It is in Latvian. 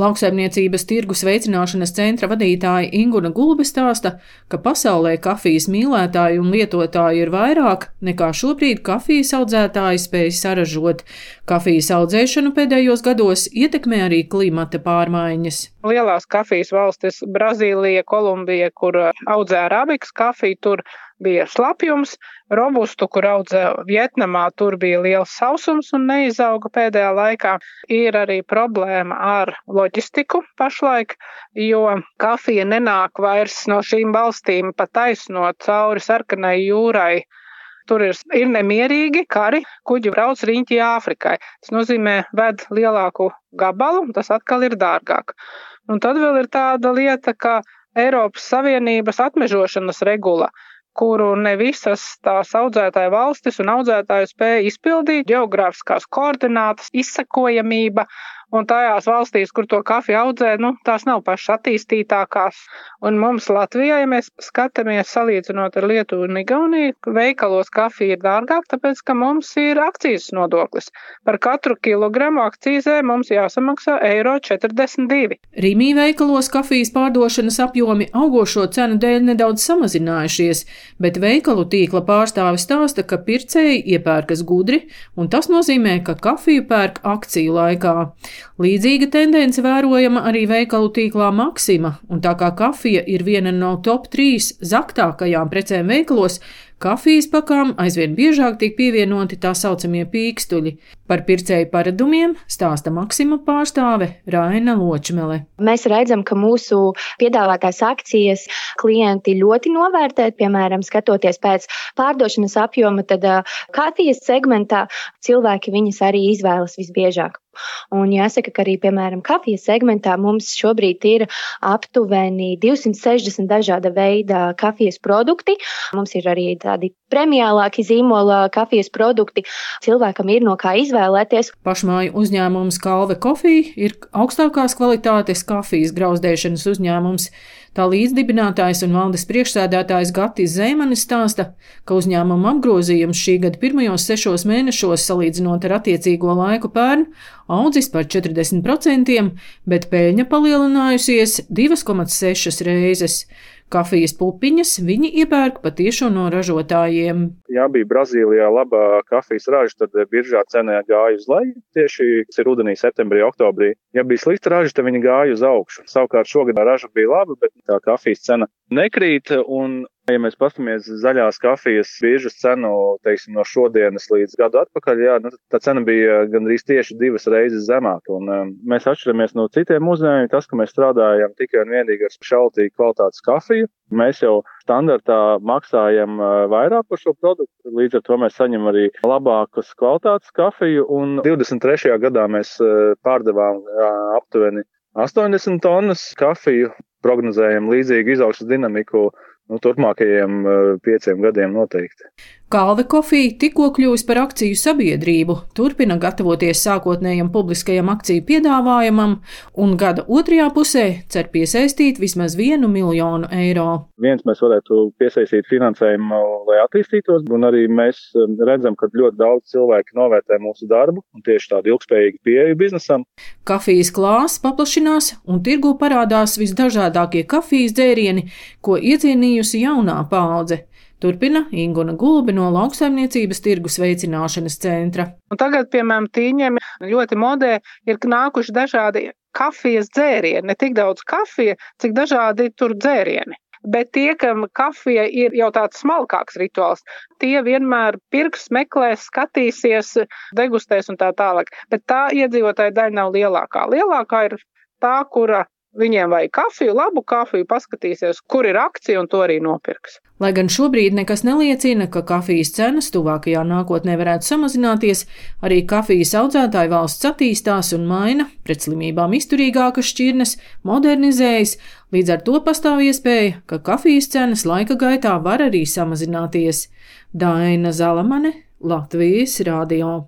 Lauksaimniecības tirgus veicināšanas centra vadītāja Inguna Gulbe stāsta, ka pasaulē kafijas mīlētāji un lietotāji ir vairāk nekā šobrīd kafijas audzētāji spēj saražot. Kafijas audzēšanu pēdējos gados ietekmē arī klimata pārmaiņas. Lielās kafijas valstis - Brazīlija, Kolumbija, kur audzē arabikas kafiju, tur bija slapjums, robustu, kur audzē Vietnamā, tur bija liels sausums un neizauga pēdējā laikā. Ir arī problēma ar loģistiku pašlaik, jo kafija nenāk vairs no šīm valstīm pa taisno cauri Sarkanai jūrai. Tur ir nemierīgi kari, kuģi brauc riņķi Āfrikai. Tas nozīmē ved lielāku gabalu, tas atkal ir dārgāk. Un tad vēl ir tāda lieta, ka Eiropas Savienības atmežošanas regula, kuru ne visas tās audzētāju valstis un audzētāju spēja izpildīt, ģeogrāfiskās koordinātas, izsekojamība, un tajās valstīs, kur to kafiju audzē, tās nav pašas attīstītākās. Un mums Latvijā, ja mēs skatāmies salīdzinot ar Lietuvu un Igauniju, veikalos kafija ir dārgāk, tāpēc, ka mums ir akcijas nodoklis. Par katru kilogramu akcīzē mums jāsamaksā €42. Rīmī veikalos kafijas pārdošanas apjomi augošo cenu dēļ nedaudz samazinājušies, bet veikalu tīkla pārstāve stāsta, ka pircēji iepērkas gudri, un tas nozīmē, ka kafiju pērk akciju laikā. Līdzīga tendence vērojama arī veikalu tīklā Maxima, un tā kā kafija ir viena no top 3 zaktākajām precēm veikalos, kafijas pakām aizvien biežāk tiek pievienoti tā saucamie pīkstuļi. Par pircēju paradumiem stāsta Maxima pārstāve Raina Ločmele. Mēs redzam, ka mūsu piedāvātās akcijas klienti ļoti novērtē, piemēram, skatoties pēc pārdošanas apjoma, tad kafijas segmentā cilvēki viņas arī izvēlas visbiežāk. Un jāsaka, ka arī, piemēram, kafijas segmentā mums šobrīd ir aptuveni 260 dažāda veida kafijas produkti. Mums ir arī tādi premiālāki zīmola kafijas produkti. Cilvēkam ir no kā izvēlēties. Pašmāju uzņēmums Kalve Coffee ir augstākās kvalitātes kafijas grauzdēšanas uzņēmums. Tā līdzdibinātājs un valdes priekšsēdētājs Gatis Zeimanis stāsta, ka uzņēmuma apgrozījums šī gada pirmajos 6 mēnešos, salīdzinot ar attiecīgo laiku pērn, audzis par 40%, bet peļņa palielinājusies 2,6 reizes. Kafijas pupiņas viņi iepērk patiešo no ražotājiem. Ja bija Brazīlijā laba kafijas raža, tad biržā cena gāja uz leju, tieši tas ir rudenī, septembrī, oktobrī. Ja bija slikta raža, tad viņi gāja uz augšu. Savukārt šogad raža bija laba, bet tā kafijas cena nekrīt, un ja mēs paskatāmies zaļās kafijas biržas cenu, teiksim, no šodienas līdz gadu atpakaļ, tā cena bija gandrīz tieši 2 reizes zemāka. Un mēs atšķiramies no citiem uzņēmumiem, tas, ka mēs strādājam tikai un vienīgi ar šaltīgu kvalitātes kafiju. Mēs jau standartā maksājam vairāk par šo produktu, līdz ar to mēs saņem arī labākas kvalitātes kafiju. Un 23. gadā mēs pārdevām aptuveni 80 tonnas kafiju, prognozējam līdzīgu izaugsmes dinamiku turpmākajiem 5 gadiem noteikti. Kalve Coffee tikko kļuvusi par akciju sabiedrību, turpina gatavoties sākotnējam publiskajam akciju piedāvājumam un gada otrajā pusē cer piesaistīt vismaz €1 miljonu. Mēs varētu piesaistīt finansējumu, lai attīstītos, un arī mēs redzam, ka ļoti daudz cilvēku novērtē mūsu darbu un tieši tādu ilgspējīgu pieeju biznesam. Kafijas klāsts paplašinās un tirgū parādās visdažādākie kafijas dzērieni, ko iecienījusi jaunā paudze. Turpina Inguna Gulbe no Lauksaimniecības tirgus veicināšanas centra. Un tagad, piemēram, tīņiem ļoti modē ir nākuši dažādi kafijas dzērieni, ne tik daudz kafija, cik dažādi tur dzērieni. Bet tie, kam kafija ir jau tāds smalkāks rituāls, tie vienmēr pirks, meklēs, skatīsies, degustēs un tā tālāk. Bet tā iedzīvotāja daļa nav lielākā. Lielākā ir tā, kura viņiem vajag kafiju, labu kafiju, paskatīsies, kur ir akcija un to arī nopirks. Lai gan šobrīd nekas neliecina, ka kafijas cenas tuvākajā nākotnē varētu samazināties, arī kafijas audzētāju valsts attīstās un maina, pret slimībām izturīgākas šķirnes, modernizējas, līdz ar to pastāv iespēja, ka kafijas cenas laika gaitā var arī samazināties. Daina Zalamane, Latvijas radio.